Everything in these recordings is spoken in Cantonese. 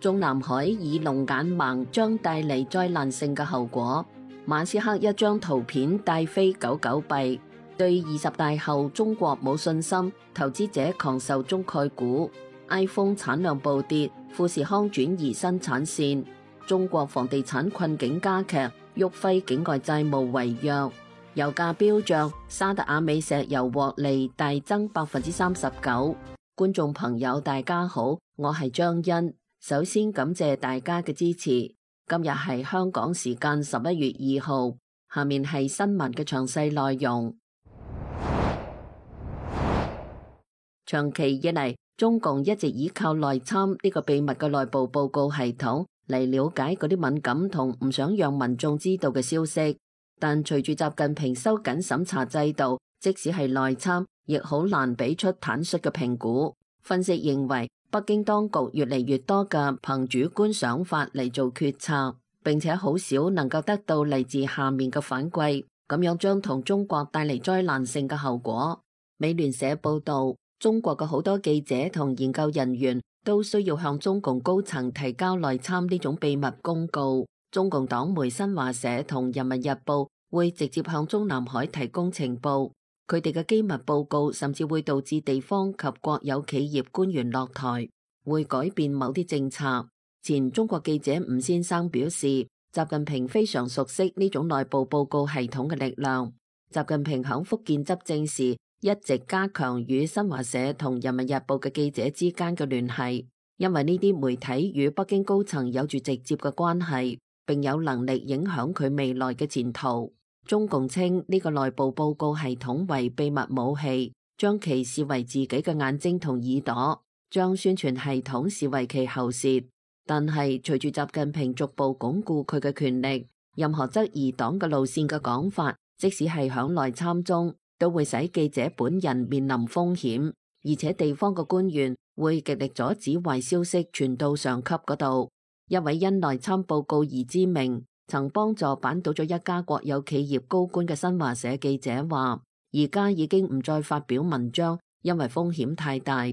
中南海以龍眼盲將帶嚟災難性嘅後果。馬斯克一張圖片帶飛99幣，對20大後中國冇信心，投資者狂受中概股。iPhone 產量暴跌，富士康轉移生產線。中國房地產困境加劇，旭輝境外債務違約。油價飆漲，沙特阿美石油獲利大增39%。觀眾朋友大家好，我係張欣。首先感謝大家嘅支持。今日係香港時間11月2號，下面係新聞嘅詳細內容。長期以嚟，中共一直依靠內參呢個秘密嘅內部報告系統嚟了解嗰啲敏感同唔想讓民眾知道嘅消息。但隨住習近平收緊審查制度，即使係內參，亦好難俾出坦率嘅評估。分析認為，北京當局越嚟越多嘅憑主觀想法嚟做決策，並且好少能夠得到嚟自下面嘅反饋，咁樣將同中國帶嚟災難性嘅後果。美聯社報道，中國嘅好多記者同研究人員都需要向中共高層提交內參呢種秘密公告。中共黨媒新華社同人民日報會直接向中南海提供情報。佢哋嘅機密報告甚至會導致地方及國有企業官員落台，會改變某啲政策。前中國記者吳先生表示，習近平非常熟悉呢種內部報告系統嘅力量。習近平響福建執政時，一直加強與新華社同人民日報嘅記者之間嘅聯繫，因為呢啲媒體與北京高層有住直接嘅關係，並有能力影響佢未來嘅前途。中共稱呢個內部報告系統為秘密武器，將其視為自己嘅眼睛同耳朵，將宣傳系統視為其喉舌。但係隨住習近平逐步鞏固佢嘅權力，任何質疑黨嘅路線嘅講法，即使係響內參中，都會使記者本人面臨風險，而且地方嘅官員會極力阻止壞消息傳到上級嗰度。一位因內參報告而知名，曾幫助扳倒咗一家國有企業高官嘅新華社記者話，而家已經唔再發表文章，因為風險太大。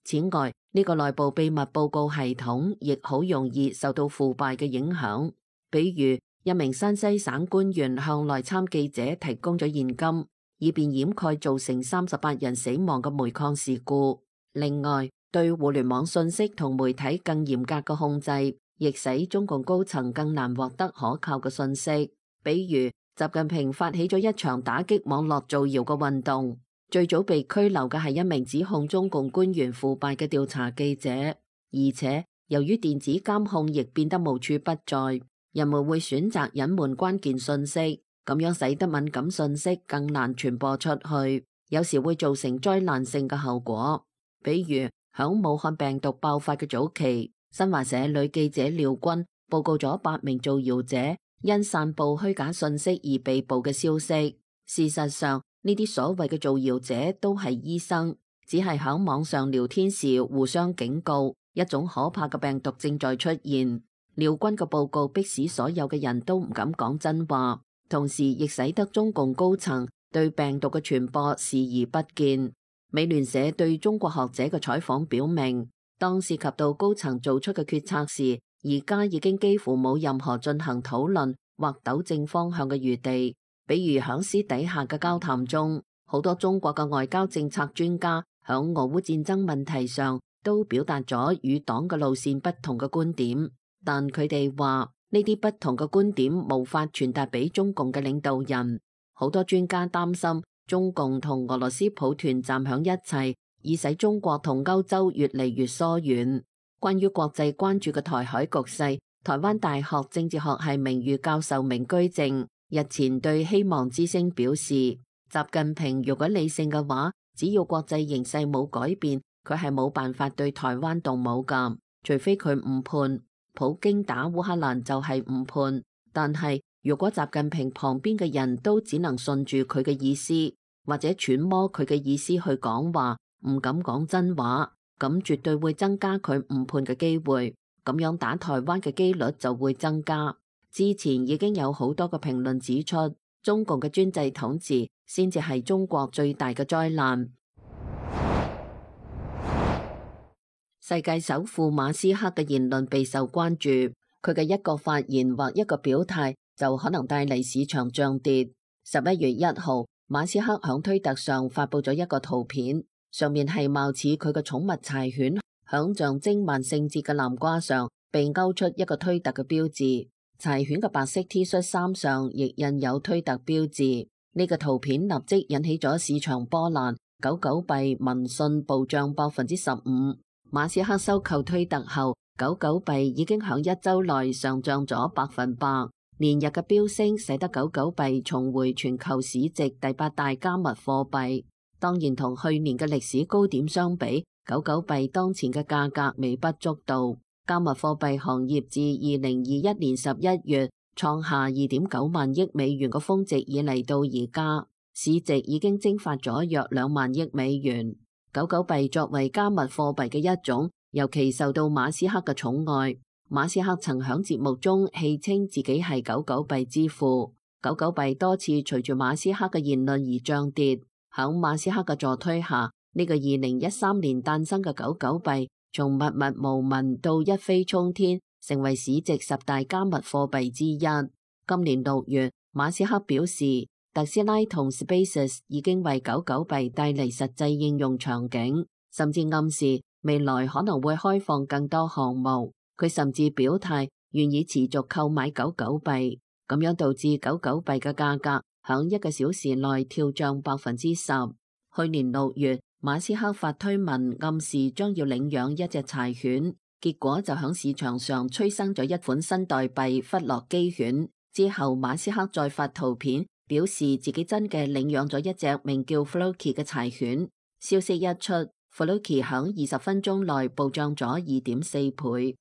此外，呢個內部秘密報告系統亦好容易受到腐敗嘅影響。比如，一名山西省官員向內參記者提供咗現金，以便掩蓋造成38人死亡嘅煤礦事故。另外，對互聯網信息同媒體更嚴格嘅控制，亦使中共高層更難獲得可靠嘅信息。比如，習近平發起咗一場打擊網絡造謠嘅運動，最早被拘留嘅係一名指控中共官員腐敗嘅調查記者。而且，由於電子監控亦變得無處不在，人們會選擇隱瞞關鍵信息，咁樣使得敏感信息更難傳播出去，有時會造成災難性嘅後果。比如，響武漢病毒爆發嘅早期，新華社女記者廖軍報告咗8名造謠者因散布虛假信息而被捕嘅消息。事實上，呢啲所謂嘅造謠者都係醫生，只係響網上聊天時互相警告，一種可怕嘅病毒正在出現。廖軍嘅報告迫使所有嘅人都唔敢講真話，同時亦使得中共高層對病毒嘅傳播視而不見。美聯社對中國學者嘅採訪表明，當涉及到高層做出嘅決策時，而家已經幾乎冇任何進行討論或糾正方向嘅餘地。比如響私底下嘅交談中，好多中國嘅外交政策專家響俄烏戰爭問題上都表達咗與黨嘅路線不同嘅觀點，但佢哋話呢啲不同嘅觀點無法傳達俾中共嘅領導人。好多專家擔心中共同俄羅斯抱團站響一齊，以使中國同歐洲越嚟越疏遠。關於國際關注嘅台海局勢，台灣大學政治學系名譽教授明居正日前對希望之聲表示，習近平如果理性嘅話，只要國際形勢冇改變，佢係冇辦法對台灣動武㗎，除非佢誤判。普京打烏克蘭就係誤判，但係如果習近平旁邊嘅人都只能順住佢嘅意思，或者揣摩佢嘅意思去講話，唔敢講真話，咁絕對會增加佢誤判嘅機會，咁樣打台灣嘅機率就會增加。之前已經有好多個評論指出，中共嘅專制統治先至係中國最大嘅災難。世界首富馬斯克嘅言論備受關注，佢嘅一個發言或一個表態就可能帶嚟市場漲跌。11月1號，馬斯克響推特上發佈咗一個圖片，上面係貌似佢嘅寵物柴犬響象徵萬聖節嘅南瓜上被勾出一個推特嘅標誌，柴犬嘅白色 T 恤衫上亦印有推特標誌。呢個圖片立即引起咗市場波瀾，狗狗幣民信暴漲15%。馬斯克收購推特後，狗狗幣已經響一周內上漲咗100%，連日嘅飆升使得狗狗幣重回全球市值第8大加密貨幣。當然同去年嘅歷史高點相比，狗狗幣當前嘅價格微不足道。加密貨幣行業自2021年11月創下2.9萬億美元嘅峰值以嚟到而家，市值已經蒸發咗約2萬億美元。狗狗幣作為加密貨幣嘅一種，尤其受到馬斯克嘅寵愛。馬斯克曾響節目中戲稱自己係狗狗幣之父。狗狗幣多次隨住馬斯克嘅言論而漲跌。響馬斯克嘅助推下，呢個2013年誕生嘅狗狗幣從默默無聞到一飛沖天，成為市值10大加密貨幣之一。今年6月，馬斯克表示，特斯拉同 SpaceX 已經為狗狗幣帶嚟實際應用場景，甚至暗示未來可能會開放更多項目。佢甚至表態願意持續購買狗狗幣，咁樣導致狗狗幣嘅價格響1個小時內跳漲10%。去年6月，馬斯克發推文暗示將要領養一隻柴犬，結果就響市場上催生咗一款新代幣弗洛基犬。之後馬斯克再發圖片，表示自己真嘅領養咗一隻名叫 Floki 嘅柴犬。消息一出，Floki 響20分鐘內暴漲咗2.4倍。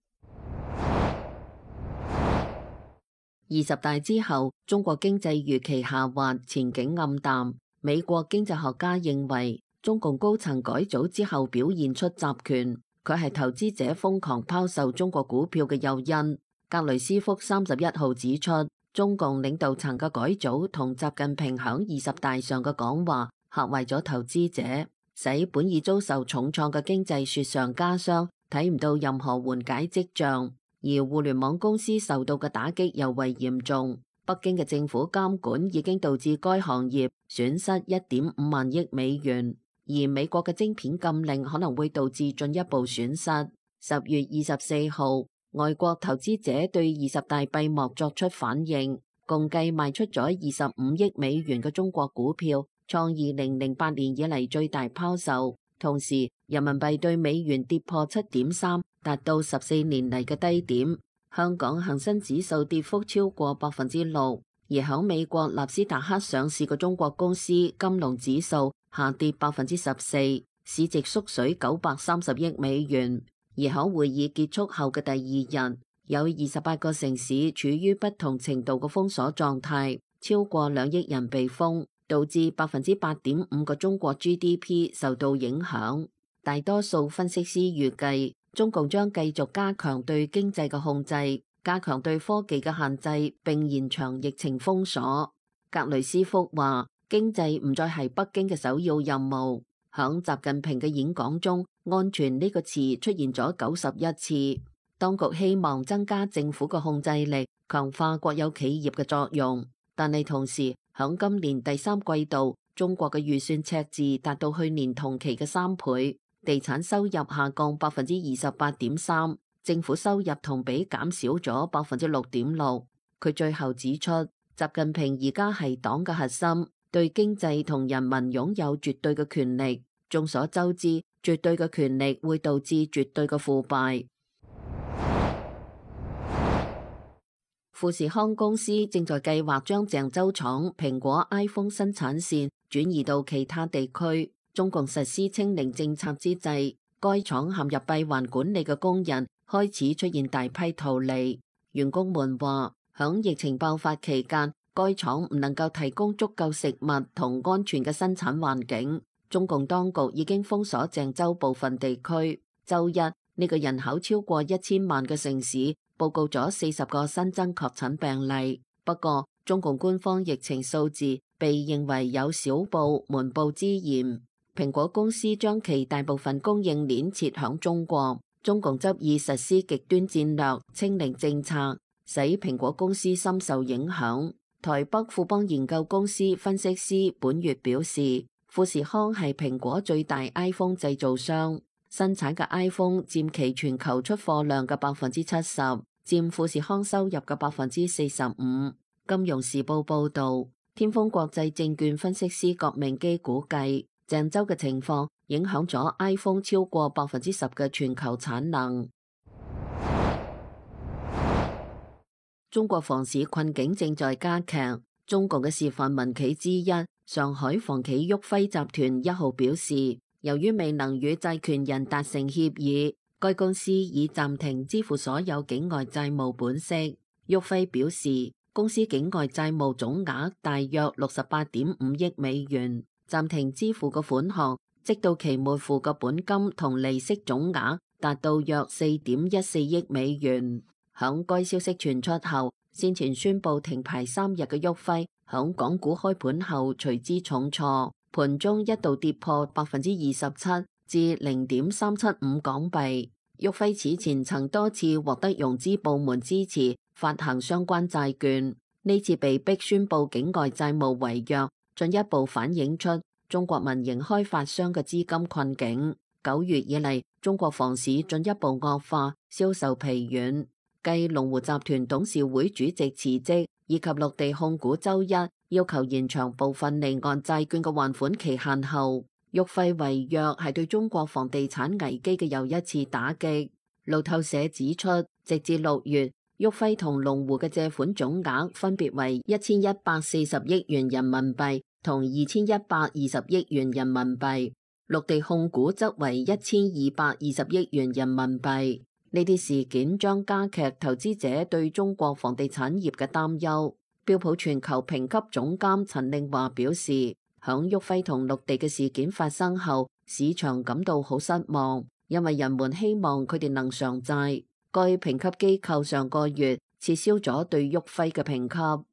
20大之後，中國經濟預期下滑，前景暗淡。美國經濟學家認為，中共高層改組之後表現出集權，佢係投資者瘋狂拋售中國股票嘅誘因。格雷斯福31號指出，中共領導層嘅改組同習近平響20大上嘅講話嚇壞咗投資者，使本已遭受重創嘅經濟雪上加霜，睇唔到任何緩解跡象。而互聯網公司受到嘅打擊尤為嚴重，北京嘅政府監管已經導致該行業損失1.5萬億美元，而美國嘅晶片禁令可能會導致進一步損失。10月24號，外國投資者對20大閉幕作出反應，共計賣出咗25億美元嘅中國股票，創2008年以嚟最大拋售。同時，人民幣對美元跌破7.3，達到14年嚟嘅低點。香港恒生指數跌幅超過6%，而響美國納斯達克上市嘅中國公司金龍指數下跌14%，市值縮水930億美元。而響會議結束後嘅第2日，有28個城市處於不同程度嘅封鎖狀態，超過2億人被封，導致8.5%嘅中國 GDP 受到影響。大多數分析師預計，中共將繼續加強對經濟嘅控制，加強對科技嘅限制，並延長疫情封鎖。格雷斯福話，經濟唔再係北京嘅首要任務。響習近平嘅演講中，安全呢個詞出現咗91次。當局希望增加政府嘅控制力，強化國有企業嘅作用，但係同時響今年第3季度，中國嘅預算赤字達到去年同期嘅3倍。地產收入下降28.3%，政府收入同比減少咗6.6%。佢最後指出，習近平而家係黨嘅核心，對經濟同人民擁有絕對嘅權力。眾所周知，絕對嘅權力會導致絕對嘅腐敗。富士康公司正在計劃將鄭州廠蘋果 iPhone 生產線轉移到其他地區。中共實施清零政策之際，該廠陷入閉環管理嘅工人開始出現大批逃離。員工們話，響疫情爆發期間，該廠唔能夠提供足夠食物同安全嘅生產環境。中共當局已經封鎖鄭州部分地區。周一，呢個人口超過1000萬嘅城市報告咗40個新增確診病例。不過，中共官方疫情數字被認為有小報瞞報之嫌。蘋果公司將其大部分供應鏈設響中國，中共執意實施極端戰略清零政策，使蘋果公司深受影響。台北富邦研究公司分析師本月表示，富士康係蘋果最大 iPhone 製造商，生產嘅 iPhone 佔其全球出貨量嘅70%，佔富士康收入嘅45%。金融時報報導，天風國際證券分析師郭明基估計，鄭州嘅情況影響咗 iPhone 超過10%嘅全球產能。中國房市困境正在加劇。中共嘅示範民企之一上海房企旭輝集團1號表示，由於未能與債權人達成協議，該公司已暫停支付所有境外債務本息。旭輝表示，公司境外債務總額大約68.5億美元，暫停支付嘅款項，即到期末付嘅本金同利息總額達到約4.14億美元。響該消息傳出後，先前宣布停牌3日嘅旭輝，響港股開盤後隨之重挫，盤中一度跌破27%至0.375港幣。旭輝此前曾多次獲得融資部門支持發行相關債券，呢次被迫宣布境外債務違約，進一步反映出中國民營開發商嘅資金困境。9月以嚟，中國房市進一步惡化，銷售疲軟。繼龍湖集團董事會主席辭職，以及綠地控股周一要求延長部分離岸債券嘅還款期限後，旭輝違約係對中國房地產危機嘅又一次打擊。路透社指出，直至6月，旭輝同龍湖嘅借款總額分別為1140億元人民幣同2120億元人民幣，綠地控股則為1220億元人民幣。呢啲事件將加劇投資者對中國房地產業嘅擔憂。標普全球評級總監陳令華表示，響旭輝同綠地嘅事件發生後，市場感到好失望，因為人們希望佢哋能償債。該評級機構上個月撤銷咗對旭輝嘅評級。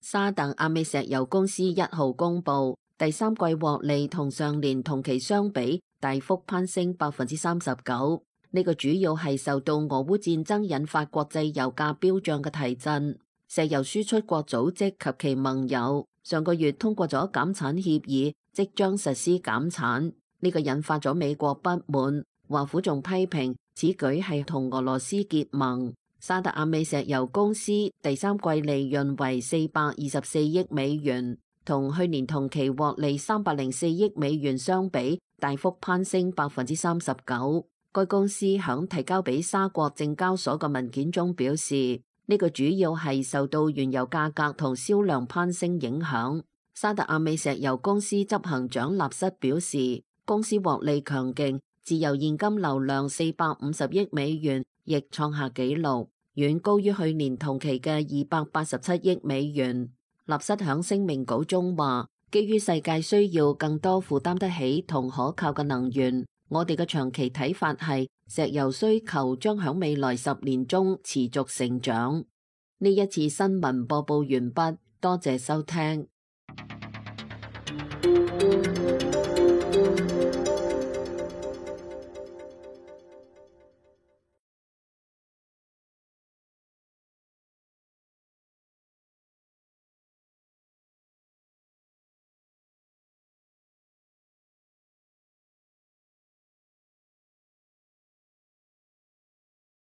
沙特阿美石油公司1號公佈，第三季獲利同上年同期相比大幅攀升39%，呢個主要係受到俄烏戰爭引發國際油價飆漲嘅提振。石油輸出國組織及其盟友上個月通過咗減產協議，即將實施減產，呢個引發咗美國不滿。華府仲批評此舉係同俄羅斯結盟。沙特阿美石油公司第三季利潤為424億美元，同去年同期獲利304億美元相比，大幅攀升39%。該公司響提交俾沙國證交所嘅文件中表示，呢個主要係受到原油價格同銷量攀升影響。沙特阿美石油公司執行長納瑟表示，公司獲利強勁，自由現金流量450億美元，亦創下紀錄，遠高於去年同期嘅287億美元。納瑟響聲明稿中話，基於世界需要更多負擔得起同可靠嘅能源，我哋嘅長期睇法係石油需求將響未來10年中持續成長。呢一次新聞播報完畢，多謝收聽。